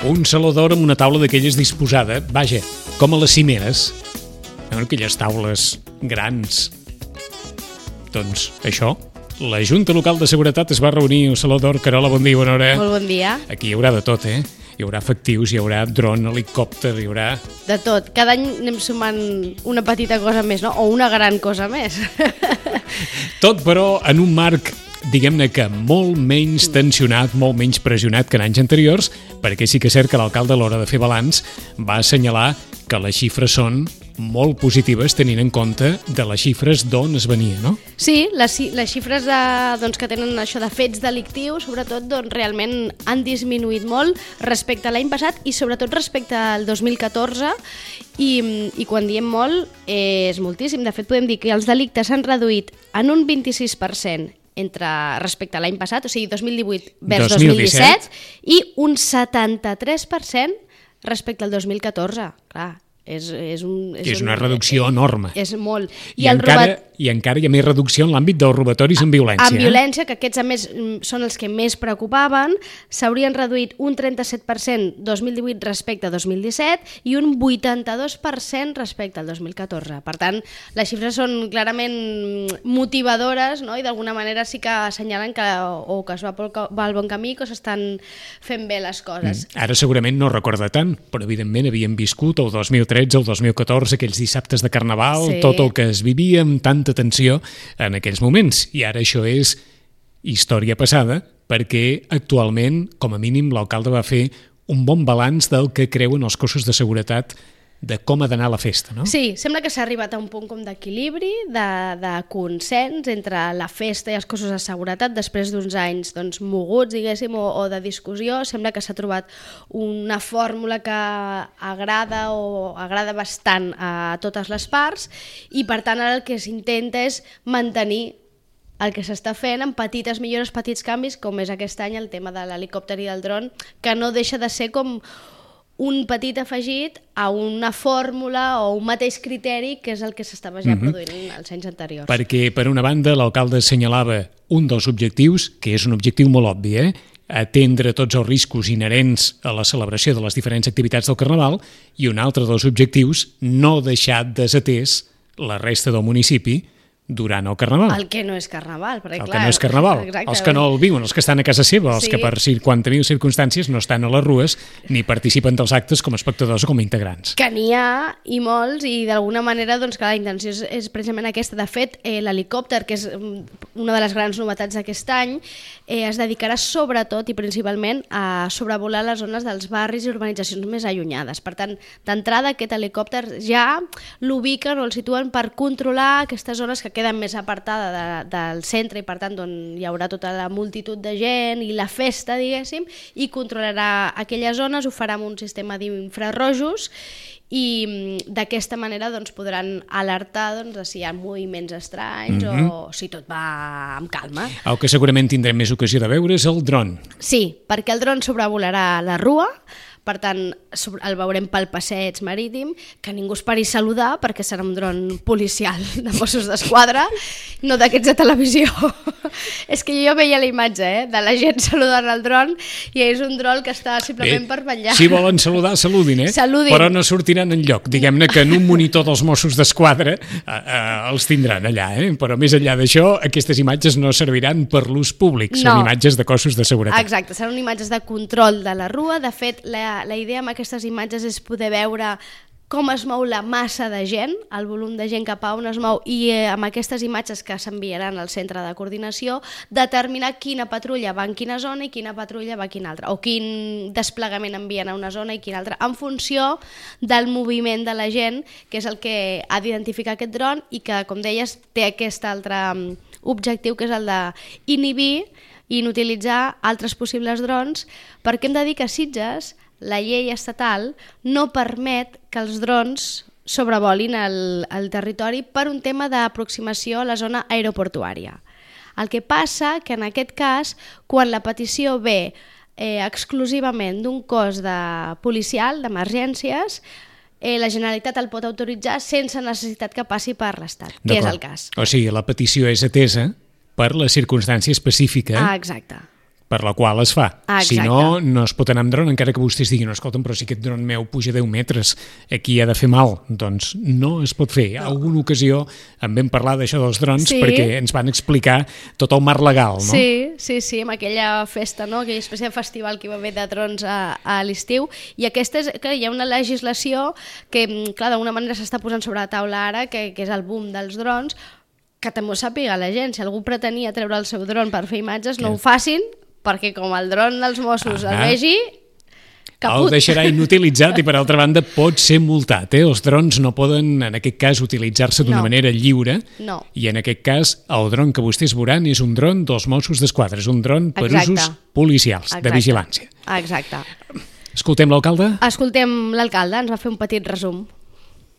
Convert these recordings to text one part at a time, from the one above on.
Un saló d'or amb una taula d'aquelles disposada, vaja, com a les cimeres. Aquelles taules grans. Doncs això, la Junta Local de Seguretat es va reunir al Saló d'Or. Carola, bon dia, bona hora. Molt bon dia. Aquí hi haurà de tot, eh? Hi haurà efectius, hi haurà dron, helicòpter, hi haurà... De tot. Cada any anem sumant una petita cosa més, no? O una gran cosa més. Tot, però, en un marc, diguem-ne que molt menys tensionat, molt menys pressionat que en anys anteriors, perquè sí que és cert que l'alcalde, a l'hora de fer balanç, va assenyalar que les xifres són molt positives tenint en compte de les xifres d'on es venia, no? Sí, les xifres que tenen això de fets delictius, sobretot, realment han disminuït molt respecte a l'any passat i sobretot respecte al 2014 i quan diem molt és moltíssim. De fet, podem dir que els delictes s'han reduït en un 26% respecte a l'any passat, o sigui, 2018 vers 2017, i un 73% respecte al 2014. Clar, és una reducció enorme. És molt. I encara hi ha més reducció en l'àmbit dels robatoris amb violència. Amb violència, que aquests a més són els que més preocupaven, s'haurien reduït un 37% 2018 respecte a 2017 i un 82% respecte al 2014. Per tant, les xifres són clarament motivadores, no? I d'alguna manera sí que assenyalen que es va al bon camí, que s'estan fent bé les coses. Ara segurament no recorda tant, però evidentment havíem viscut el 2013, el 2014, aquells dissabtes de Carnaval, sí. Tot el que es vivia amb tanta tensió en aquells moments. I ara això és història passada, perquè actualment, com a mínim, l'alcalde va fer un bon balanç del que creuen els cossos de seguretat de com ha d'anar la festa, no? Sí, sembla que s'ha arribat a un punt com d'equilibri, de consens entre la festa i els cossos de seguretat després d'uns anys moguts, diguéssim, o de discussió. Sembla que s'ha trobat una fórmula que agrada bastant a totes les parts i, per tant, ara el que s'intenta és mantenir el que s'està fent amb petites millores, petits canvis, com és aquest any el tema de l'helicòpter i del dron, que no deixa de ser com un petit afegit a una fórmula o un mateix criteri que és el que s'estava ja produint els anys anteriors. Perquè, per una banda, l'alcalde assenyalava un dels objectius, que és un objectiu molt obvi, atendre tots els riscos inherents a la celebració de les diferents activitats del Carnaval, i un altre dels objectius, no deixar desatès la resta del municipi durant el Carnaval. El que no és Carnaval, perquè clar... El que no és Carnaval. Exacte. Els que no el viuen, els que estan a casa seva, els que per 50.000 circumstàncies no estan a les rues ni participen dels actes com a espectadors o com a integrants. Que n'hi ha, i molts, i d'alguna manera que la intenció és precisament aquesta. De fet, l'helicòpter, que és una de les grans novetats d'aquest any, es dedicarà sobretot i principalment a sobrevolar les zones dels barris i urbanitzacions més allunyades. Per tant, d'entrada, aquest helicòpter ja l'ubiquen o el situen per controlar aquestes zones que queden més apartada del centre i, per tant, on hi haurà tota la multitud de gent i la festa, diguéssim, i controlarà aquelles zones, ho farà amb un sistema d'infrarrojos i d'aquesta manera podran alertar si hi ha moviments estranys o si tot va amb calma. El que segurament tindrem més ocasió de veure és el dron. Sí, perquè el dron sobrevolarà la rua, per tant, el veurem pel passeig marítim, que ningú es pari a saludar perquè serà un dron policial de Mossos d'Esquadra, no d'aquests de televisió. És que jo veia la imatge de la gent saludant el dron i és un dron que està simplement per vetllar. Si volen saludar, saludin, Saludin. Però no sortiran enlloc. Diguem-ne que en un monitor dels Mossos d'Esquadra els tindran allà, però més enllà d'això, aquestes imatges no serviran per l'ús públic, són imatges de cossos de seguretat. Exacte, seran imatges de control de la rua. De fet, la idea amb aquestes imatges és poder veure com es mou la massa de gent, el volum de gent cap a on es mou, i amb aquestes imatges que s'enviaran al centre de coordinació, determinar quina patrulla va en quina zona i quina patrulla va a quina altra, o quin desplegament envien a una zona i quina altra, en funció del moviment de la gent, que és el que ha d'identificar aquest dron i que, com deies, té aquest altre objectiu, que és el d'inhibir i inutilitzar altres possibles drons, perquè hem de dir que a Sitges la llei estatal no permet que els drons sobrevolin el territori per un tema d'aproximació a la zona aeroportuària. El que passa que en aquest cas, quan la petició ve exclusivament d'un cos policial d'emergències, la Generalitat el pot autoritzar sense necessitat que passi per l'Estat, que és el cas. O sigui, la petició és atesa per la circumstància específica exacte. per la qual es fa. Exacte. Si no, no es pot anar amb dron, encara que vostès diguin, no, escolta'm, però si aquest dron meu puja 10 metres, aquí ha de fer mal. Doncs no es pot fer. No. Alguna ocasió en vam parlar d'això dels drons perquè ens van explicar tot el marc legal, no? Sí, amb aquella festa, no? Aquella espècie de festival que hi va haver de drons a l'estiu, i aquesta és que hi ha una legislació que, clar, d'alguna manera s'està posant sobre la taula ara, que és el boom dels drons, que també ho sàpiga la gent. Si algú pretenia treure el seu dron per fer imatges, no ho facin, perquè com el dron dels Mossos el vegi, caput. El deixarà inutilitzat i, per altra banda, pot ser multat. Els drons no poden, en aquest cas, utilitzar-se d'una manera lliure, i en aquest cas el dron que vostès veuran és un dron dels Mossos d'Esquadra, és un dron per usos policials, de vigilància. Exacte. Escoltem l'alcalde? Escoltem l'alcalde, ens va fer un petit resum.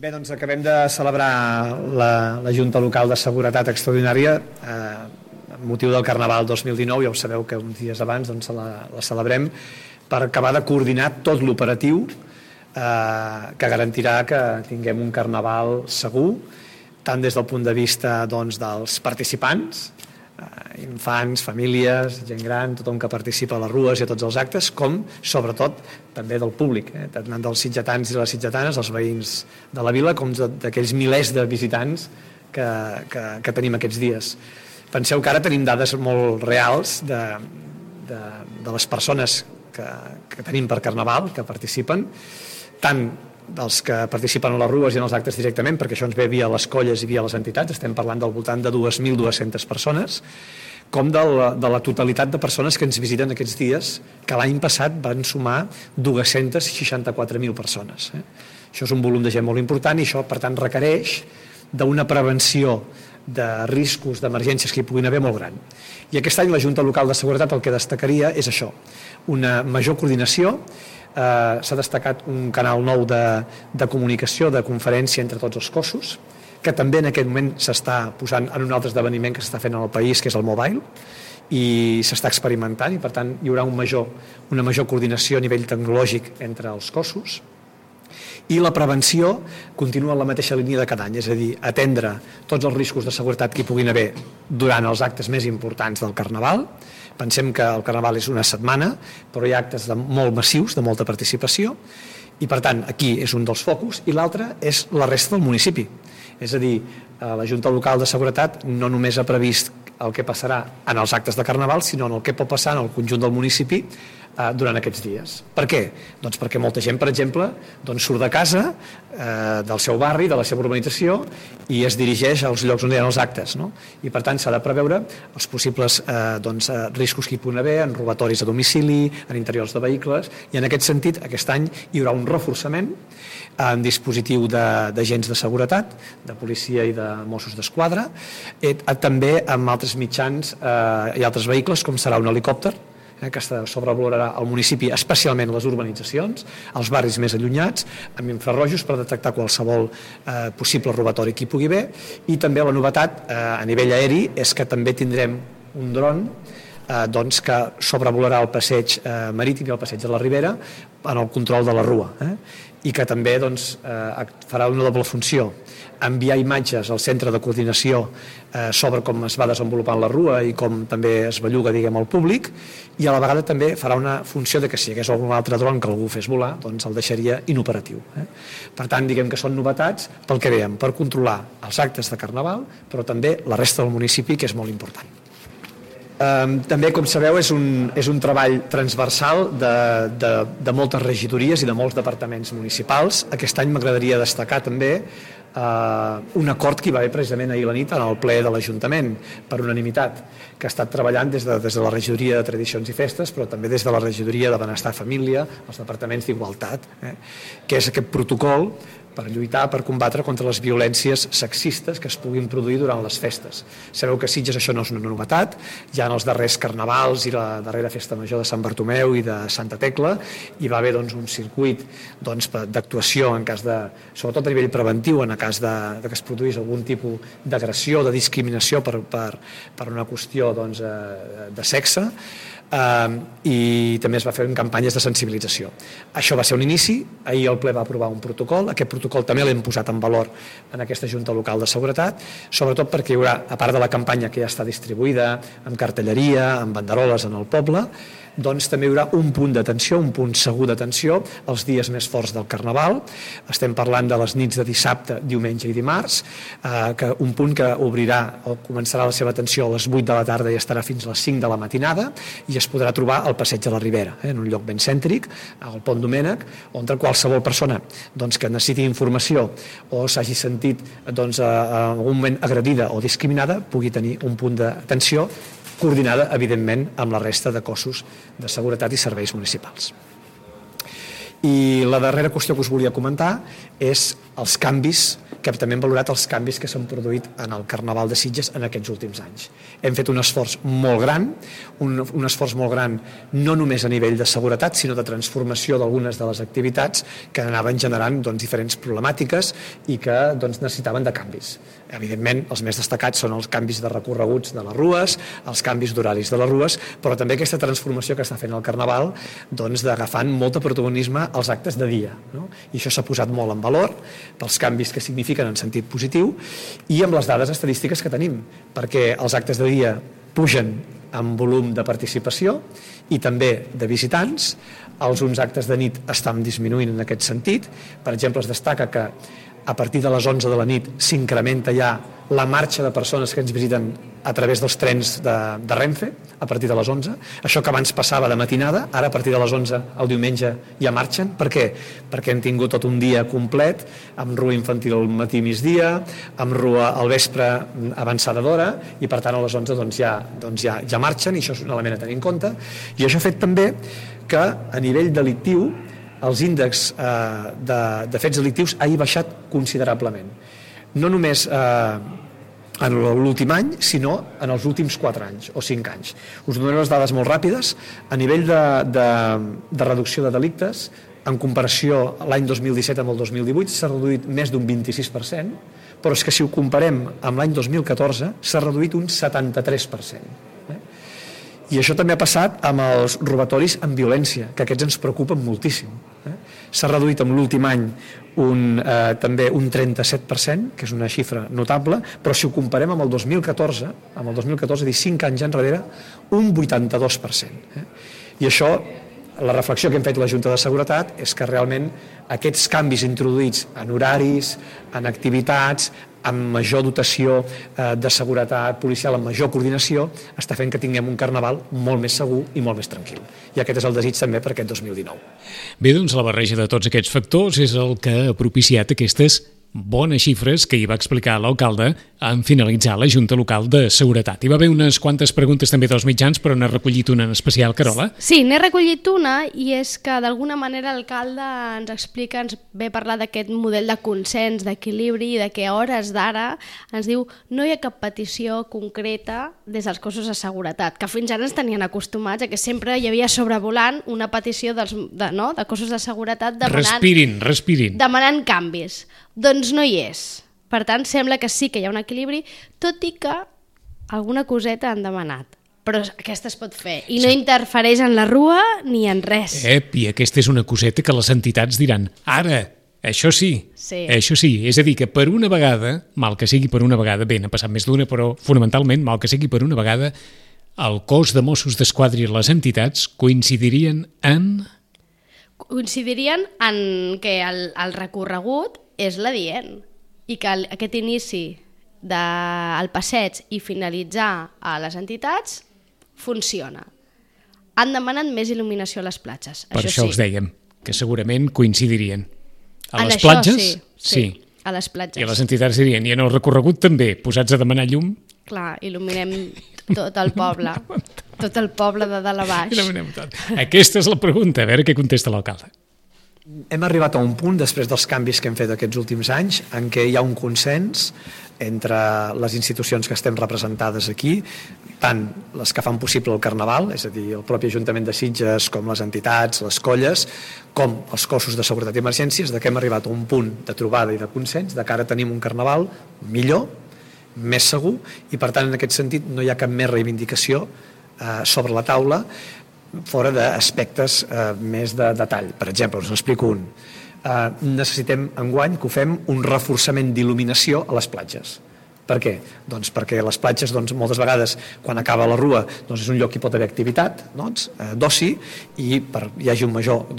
Bé, doncs acabem de celebrar la Junta Local de Seguretat Extraordinària amb motiu del Carnaval 2019, ja ho sabeu que uns dies abans doncs, la celebrem per acabar de coordinar tot l'operatiu que garantirà que tinguem un Carnaval segur, tant des del punt de vista doncs, dels participants, infants, famílies, gent gran, tothom que participa a les rues i a tots els actes, com, sobretot, també del públic, tant dels sitgetans i les sitgetanes, els veïns de la vila, com d'aquells milers de visitants que tenim aquests dies. Penseu que ara tenim dades molt reals de les persones que tenim per Carnaval, que participen, tant dels que participen a les rues i en els actes directament, perquè això ens ve via les colles i via les entitats, estem parlant del voltant de 2.200 persones, com de la totalitat de persones que ens visiten aquests dies, que l'any passat van sumar 264.000 persones. Això és un volum de gent molt important i això, per tant, requereix d'una prevenció de riscos, d'emergències que hi puguin haver molt gran. I aquest any la Junta Local de Seguretat el que destacaria és això, una major coordinació. S'ha destacat un canal nou de comunicació, de conferència entre tots els cossos, que també en aquest moment s'està posant en un altre esdeveniment que s'està fent en el país, que és el Mobile, i s'està experimentant, i per tant hi haurà una major coordinació a nivell tecnològic entre els cossos. I la prevenció continua en la mateixa línia de cada any, és a dir, atendre tots els riscos de seguretat que hi puguin haver durant els actes més importants del Carnaval. Pensem que el Carnaval és una setmana, però hi ha actes molt massius, de molta participació, i per tant aquí és un dels focus, i l'altre és la resta del municipi. És a dir, la Junta Local de Seguretat no només ha previst el que passarà en els actes de Carnaval, sinó en el que pot passar en el conjunt del municipi durant aquests dies. Per què? Doncs perquè molta gent, per exemple, surt de casa, del seu barri, de la seva urbanització, i es dirigeix als llocs on hi ha els actes, no? I per tant s'ha de preveure els possibles riscos que hi puguin haver, en robatoris a domicili, en interiors de vehicles, i en aquest sentit aquest any hi haurà un reforçament en dispositiu d'agents de seguretat, de policia i de Mossos d'Esquadra, també amb altres mitjans i altres vehicles, com serà un helicòpter, que sobrevolarà el municipi, especialment les urbanitzacions, els barris més allunyats, amb infrarrojos per detectar qualsevol possible robatori que hi pugui haver, i també la novetat a nivell aeri és que també tindrem un dron que sobrevolarà el passeig marítim i el passeig de la Ribera en el control de la rua, i que també farà una doble funció, enviar imatges al centre de coordinació sobre com es va desenvolupant la rua i com també es belluga, al públic, i a la vegada també farà una funció de que si hi hagués algun altre dron que algú fes volar, el deixaria inoperatiu. Per tant, diguem que són novetats pel que dèiem, per controlar els actes de Carnaval, però també la resta del municipi, que és molt important. També, com sabeu, és un treball transversal de moltes regidories i de molts departaments municipals. Aquest any m'agradaria destacar també un acord que hi va haver precisament ahir a la nit en el ple de l'Ajuntament, per unanimitat, que ha estat treballant des de la regidoria de Tradicions i Festes, però també des de la regidoria de Benestar i Família, els departaments d'Igualtat, que és aquest protocol per lluitar, per combatre contra les violències sexistes que es puguin produir durant les festes. Sabeu que a Sitges això no és una novetat, ja en els darrers carnavals i la darrera festa major de Sant Bartomeu i de Santa Tecla hi va haver un circuit d'actuació en cas de, sobretot a nivell preventiu, en cas que es produís algun tipus d'agressió, de discriminació per una qüestió de sexe. i també es va fer en campanyes de sensibilització. Això va ser un inici, ahir el ple va aprovar un protocol, aquest protocol també l'hem posat en valor en aquesta Junta Local de Seguretat, sobretot perquè hi haurà, a part de la campanya que ja està distribuïda, amb cartelleria, amb banderoles en el poble, doncs també hi haurà un punt d'atenció, un punt segur d'atenció els dies més forts del Carnaval. Estem parlant de les nits de dissabte, diumenge i dimarts, un punt que obrirà o començarà la seva atenció a les 8 de la tarda i estarà fins a les 5 de la matinada, i es podrà trobar al Passeig de la Ribera, en un lloc ben cèntric, al Pont Domènec, on qualsevol persona que necessiti informació o s'hagi sentit en algun moment agredida o discriminada pugui tenir un punt d'atenció coordinada, evidentment, amb la resta de cossos de seguretat i serveis municipals. I la darrera qüestió que us volia comentar és els canvis, que també hem valorat els canvis que s'han produït en el Carnaval de Sitges en aquests últims anys. Hem fet un esforç molt gran, un esforç molt gran no només a nivell de seguretat, sinó de transformació d'algunes de les activitats que anaven generant diferents problemàtiques i que necessitaven de canvis. Evidentment, els més destacats són els canvis de recorreguts de les rues, els canvis d'horaris de les rues, però també aquesta transformació que està fent el Carnaval d'agafant molt de protagonisme als actes de dia. I això s'ha posat molt en valor pels canvis que signifiquen en sentit positiu i amb les dades estadístiques que tenim, perquè els actes de dia pugen en volum de participació i també de visitants, uns actes de nit estan disminuint en aquest sentit. Per exemple, es destaca que a partir de les 11 de la nit s'incrementa ja la marxa de persones que ens visiten a través dels trens de Renfe, a partir de les 11. Això que abans passava de matinada, ara a partir de les 11 el diumenge ja marxen. Per què? Perquè hem tingut tot un dia complet, amb rua infantil al matí migdia, amb rua al vespre avançada d'hora, i per tant a les 11 ja marxen, i això és un element a tenir en compte. I això ha fet també que a nivell delictiu els índexs de fets delictius hagi baixat considerablement. No només en l'últim any, sinó en els últims 4 anys o 5 anys. Us donaré les dades molt ràpides. A nivell de reducció de delictes, en comparació l'any 2017 amb el 2018, s'ha reduït més d'un 26%, però és que si ho comparem amb l'any 2014 s'ha reduït un 73%. I això també ha passat amb els robatoris amb violència, que aquests ens preocupen moltíssim. S'ha reduït en l'últim any també un 37%, que és una xifra notable, però si ho comparem amb el 2014, dir 5 anys enrere, un 82%. I això, la reflexió que hem fet la Junta de Seguretat és que realment aquests canvis introduïts en horaris, en activitats, amb major dotació de seguretat policial, amb major coordinació, està fent que tinguem un Carnaval molt més segur i molt més tranquil. I aquest és el desig també per aquest 2019. Bé, doncs la barreja de tots aquests factors és el que ha propiciat aquestes bones xifres que hi va explicar l'alcalde en finalitzar la Junta Local de Seguretat. Hi va haver unes quantes preguntes també dels mitjans, però n'ha recollit una en especial, Carola. Sí, n'he recollit una, i és que d'alguna manera l'alcalde ens explica, ens ve a parlar d'aquest model de consens, d'equilibri, i de que a hores d'ara ens diu no hi ha cap petició concreta des dels cossos de seguretat, que fins ara ens tenien acostumats a que sempre hi havia sobrevolant una petició de cossos de seguretat respirin. Demanant canvis. Doncs no hi és. Per tant, sembla que sí que hi ha un equilibri, tot i que alguna coseta han demanat. Però aquesta es pot fer i no interfereix en la rua ni en res. I aquesta és una coseta que les entitats diran, ara, això sí, això sí. És a dir, que per una vegada, mal que sigui per una vegada, bé, n'ha passat més d'una, però fonamentalment, mal que sigui per una vegada, el cos de Mossos d'Esquadra i les entitats coincidirien en que el recorregut és l'adient i que aquest inici del passeig i finalitzar a les entitats funciona. Han demanat més il·luminació a les platges. Per això els dèiem, que segurament coincidirien. A les platges? Sí, a les platges. I a les entitats dirien, i en el recorregut també, posats a demanar llum? Clar, il·luminem tot el poble, tot el poble de dalt a baix. Il·luminem tot. Aquesta és la pregunta, a veure què contesta l'alcalde. Hem arribat a un punt, després dels canvis que hem fet aquests últims anys, en què hi ha un consens entre les institucions que estem representades aquí, tant les que fan possible el Carnaval, és a dir, el propi Ajuntament de Sitges, com les entitats, les colles, com els cossos de seguretat i emergències, que hem arribat a un punt de trobada i de consens, de que ara tenim un Carnaval millor, més segur, i per tant en aquest sentit no hi ha cap més reivindicació sobre la taula fora d'aspectes més de detall. Per exemple, us n'explico un. Necessitem enguany que ho fem un reforçament d'il·luminació a les platges. Per què? Doncs perquè les platges moltes vegades quan acaba la rua és un lloc que hi pot haver activitat d'oci i hi hagi un major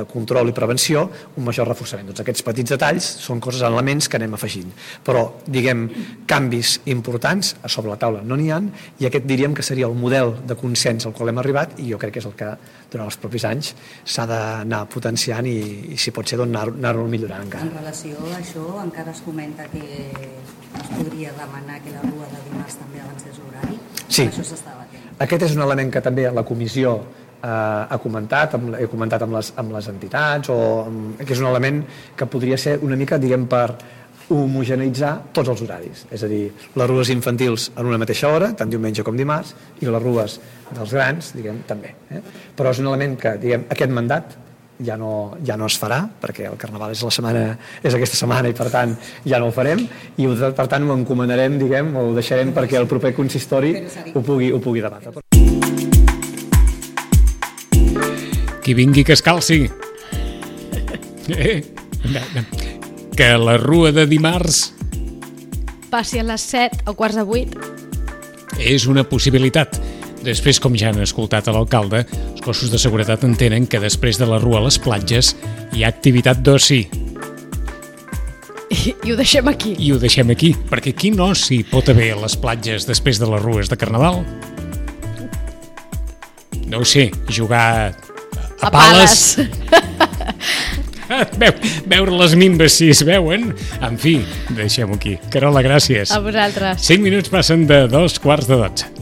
control i prevenció, un major reforçament. Aquests petits detalls són coses, elements que anem afegint. Però, diguem, canvis importants a sobre la taula no n'hi ha i aquest diríem que seria el model de consens al qual hem arribat i jo crec que és el que durant els propis anys s'ha d'anar potenciant i si pot ser anar-ho millorant encara. En relació a això encara es comenta que es podria demanar que la rua de dimarts també avancés l'horari? Sí. Això s'està batent. Aquest és un element que també la comissió ha comentat, he comentat amb les entitats, que és un element que podria ser una mica, diguem, per homogeneitzar tots els horaris. És a dir, les rues infantils en una mateixa hora, tant diumenge com dimarts, i les rues dels grans, diguem, també. Però és un element que, diguem, aquest mandat ja no es farà, perquè el Carnaval és aquesta setmana i per tant ja no ho farem i per tant ho encomanarem, diguem, o ho deixarem perquè el proper consistori ho pugui debatre. Qui vingui que es calci. Que la rua de dimarts passi a les 7 o quarts de 8. És una possibilitat. Després, com ja han escoltat a l'alcalde, els cossos de seguretat entenen que després de la rua a les platges hi ha activitat d'oci. I ho deixem aquí. I ho deixem aquí, perquè quin oci pot haver a les platges després de les rues de Carnaval? No ho sé, jugar a pales. Veure les minves si es veuen. En fi, deixem-ho aquí. Carola, gràcies. A vosaltres. 5 minuts passen de 2:15.